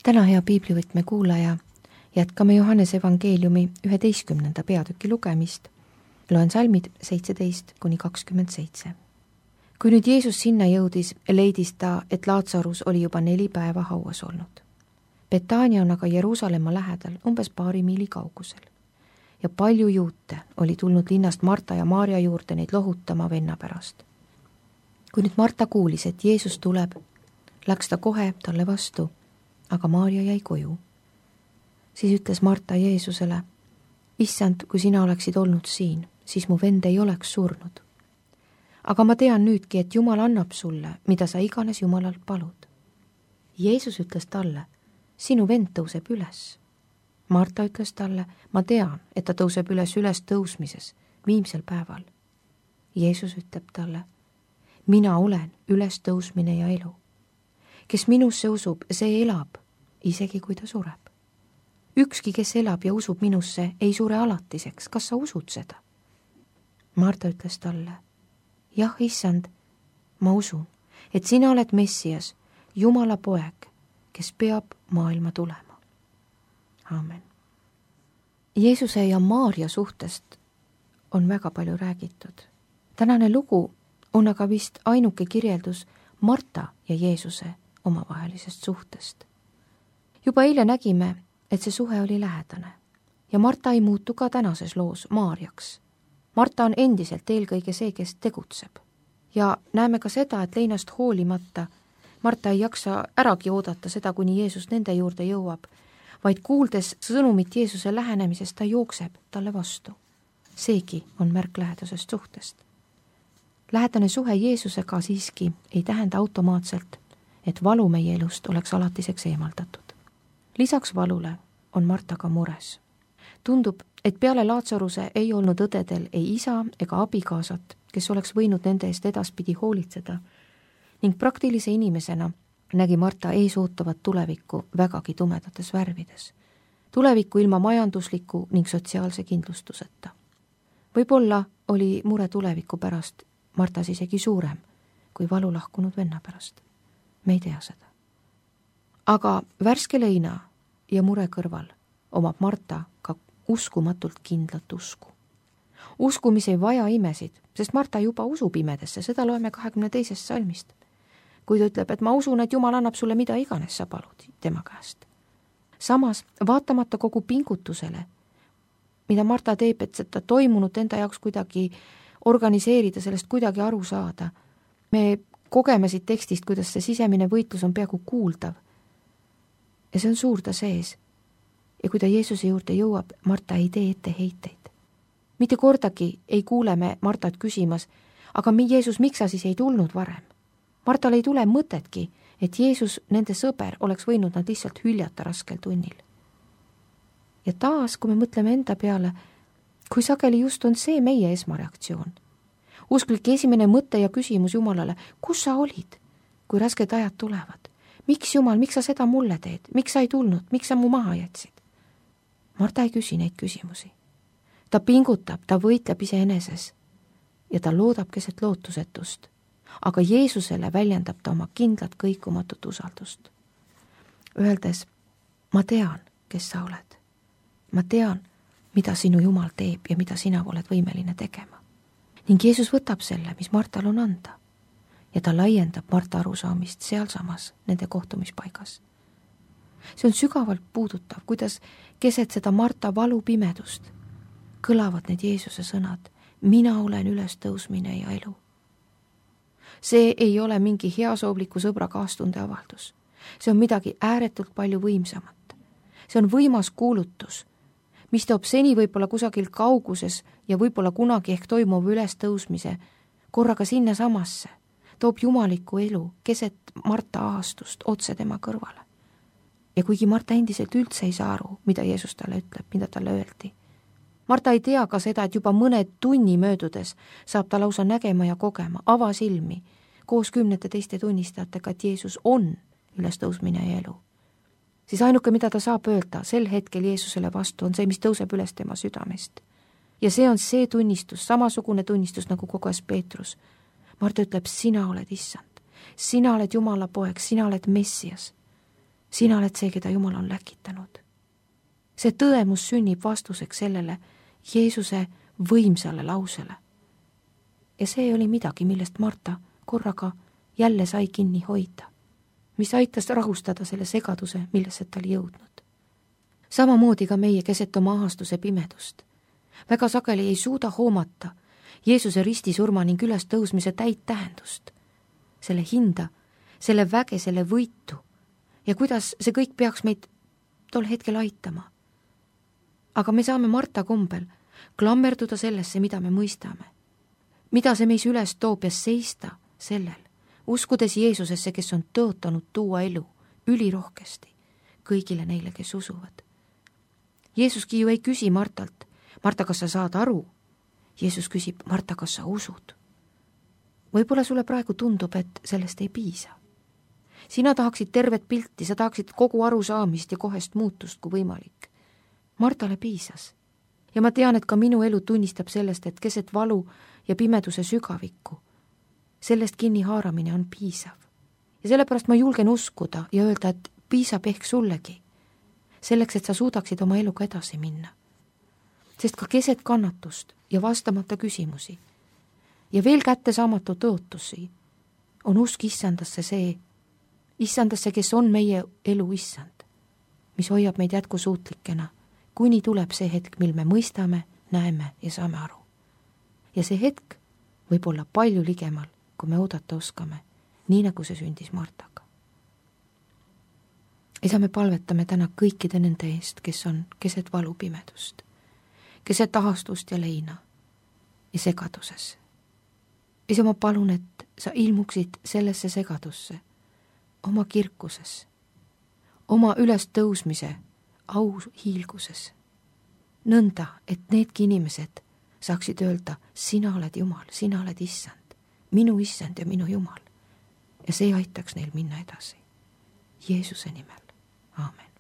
täna, hea piiblivõtme kuulaja, jätkame Johannese evangeeliumi 11. peatüki lugemist. Loen salmid 17-27. Kui nüüd Jeesus sinna jõudis, leidis ta, et Laatsarus oli juba 4 päeva hauas olnud. Betania on aga Jeruusalemma lähedal, umbes 2 miili kaugusel. Ja palju juute oli tulnud linnast Marta ja Maarja juurde neid lohutama venna pärast. Kui nüüd Marta kuulis, et Jeesus tuleb, läks ta kohe talle vastu, aga Maarja jäi koju. Siis ütles Marta Jeesusele: Issand, kui sina oleksid olnud siin, siis mu vend ei oleks surnud. Aga ma tean nüüdki, et Jumal annab sulle, mida sa iganes Jumalalt palud. Jeesus ütles talle: sinu vend tõuseb üles. Marta ütles talle: ma tean, et ta tõuseb üles tõusmises, viimsel päeval. Jeesus ütleb talle: mina olen ülestõusmine ja elu. Kes minusse usub, see elab, isegi kui ta sureb. Ükski, kes elab ja usub minusse, ei sure alatiseks. Kas sa usud seda? Marta ütles talle: jah, issand, ma usun, et sina oled Messias, Jumala poeg, kes peab maailma tulema. Aamen. Jeesuse ja Maarja suhtest on väga palju räägitud. Tänane lugu on aga vist ainuke kirjeldus Marta ja Jeesuse omavahelisest suhtest. Juba eile nägime, et see suhe oli lähedane ja Marta ei muutu ka tänases loos Maarjaks. Marta on endiselt eelkõige see, kes tegutseb. Ja näeme ka seda, et leinast hoolimata Marta ei jaksa äragi oodata seda, kuni Jeesus nende juurde jõuab, vaid kuuldes sõnumit Jeesuse lähenemisest, ta jookseb talle vastu. Seegi on märk lähedasest suhtest. Lähedane suhe Jeesusega siiski ei tähenda automaatselt, et valu meie elust oleks alatiseks eemaldatud. Lisaks valule on Marta ka mures. Tundub, et peale Laatsaruse ei olnud õdedel ei isa ega abikaasat, kes oleks võinud nende eest edaspidi hoolitseda, ning praktilise inimesena nägi Marta ees ootavat tulevikku vägagi tumedates värvides. Tulevikku ilma majandusliku ning sotsiaalse kindlustuseta. Võib-olla oli mure tuleviku pärast Martas isegi suurem kui valu lahkunud venna pärast. Me ei tea seda. Aga värske leina ja mure kõrval omab Marta ka uskumatult kindlat usku. Usku, mis ei vaja imesid, sest Marta juba usub imedesse, seda loeme 22. salmist. Kui ta ütleb, et ma usun, et Jumal annab sulle mida iganes sa palud tema käest. Samas, vaatamata kogu pingutusele, mida Marta teeb, et seda toimunut enda jaoks kuidagi organiseerida, sellest kuidagi aru saada, me kogeme siit tekstist, kuidas see sisemine võitlus on peaaegu kuuldav. Ja see on suur ta sees. Ja kui ta Jeesuse juurde jõuab, Marta ei tee etteheiteid. Mitte kordagi ei kuule me Martat küsimas, aga Jeesus, miks sa siis ei tulnud varem? Martal ei tule mõtetki, et Jeesus, nende sõber, oleks võinud nad lihtsalt hüljata raskel tunnil. Ja taas, kui me mõtleme enda peale, kui sageli just on see meie esmareaktsioon. Usklik esimene mõte ja küsimus Jumalale: kus sa olid, kui rasked ajad tulevad? Miks, Jumal, miks sa seda mulle teed? Miks sa ei tulnud? Miks sa mu maha jätsid? Marta ei küsi neid küsimusi. Ta pingutab, ta võitleb iseeneses ja ta loodab keset lootusetust. Aga Jeesusele väljendab ta oma kindlat kõikumatut usaldust. Öeldes: ma tean, kes sa oled. Ma tean, mida sinu Jumal teeb ja mida sina oled võimeline tegema. Ning Jeesus võtab selle, mis Martal on anda. Ja ta laiendab Marta arusaamist sealsamas nende kohtumispaigas. See on sügavalt puudutav, kuidas keset seda Marta valupimedust kõlavad need Jeesuse sõnad: mina olen ülestõusmine ja elu. See ei ole mingi heasoobliku sõbra kaastunde avaldus. See on midagi ääretult palju võimsamat. See on võimas kuulutus, mis toob seni võib-olla kusagil kauguses ja võib-olla kunagi ehk toimuv ülestõusmise korraga sinna samasse, toob jumalikku elu keset Marta ahastust otse tema kõrvale. Ja kuigi Marta endiselt üldse ei saa aru, mida Jeesus talle ütleb, mida talle öeldi. Marta ei tea ka seda, et juba mõne tunni möödudes saab ta lausa nägema ja kogema avasilmi koos 10 teiste tunnistajatega, et Jeesus on ülestõusmine ja elu. Siis ainuke, mida ta saab öelda sel hetkel Jeesusele vastu, on see, mis tõuseb üles tema südamest. Ja see on see tunnistus, samasugune tunnistus, nagu koges Peetrus. Marta ütleb: sina oled issand, sina oled Jumala poeg, sina oled Messias. sina oled see, keda Jumal on läkitanud. See tõdemus sünnib vastuseks sellele Jeesuse võimsale lausele. Ja see oli midagi, millest Marta korraga jälle sai kinni hoida, mis aitas rahustada selle segaduse, millesse ta oli jõudnud. Samamoodi ka meie keset oma ahastuse pimedust. Väga sageli ei suuda hoomata Jeesuse ristisurma ning üles tõusmise täit tähendust, selle hinda, selle väge, selle võitu ja kuidas see kõik peaks meid tol hetkel aitama. Aga me saame Marta kombel klammerduda sellesse, mida me mõistame, mida see meis üles toob ja seista sellel, uskudes Jeesusesse, kes on tõotanud tuua elu ülirohkesti kõigile neile, kes usuvad. Jeesuski ju ei küsi Martalt, Marta, kas sa saad aru? Jeesus küsib, Marta, kas sa usud? Võib-olla sulle praegu tundub, et sellest ei piisa. Sina tahaksid tervet pilti, sa tahaksid kogu arusaamist ja kohest muutust kui võimalik. Martale piisas. Ja ma tean, et ka minu elu tunnistab sellest, et keset valu ja pimeduse sügavikku sellest kinni haaramine on piisav. Ja sellepärast ma julgen uskuda ja öelda, et piisab ehk sullegi, selleks, et sa suudaksid oma eluga edasi minna. Sest ka keset kannatust ja vastamata küsimusi ja veel kättesaamatu tõotusi on usk issandasse see, issandasse, kes on meie elu issand, mis hoiab meid jätkusuutlikena, kuni tuleb see hetk, mil me mõistame, näeme ja saame aru. Ja see hetk võib olla palju ligemal, kui me oodata oskame, nii nagu see sündis Martaga. Isa, me palvetame täna kõikide nende eest, kes on keset valupimedust, keset ahastust ja leina ja segaduses. Isa, ma palun, et sa ilmuksid sellesse segadusse, oma kirkuses, oma ülestõusmise au hiilguses, nõnda, et needki inimesed saaksid öelda, sina oled Jumal, sina oled issand, minu issand ja minu Jumal. Ja see aitaks neil minna edasi. Jeesuse nimel. Aamen.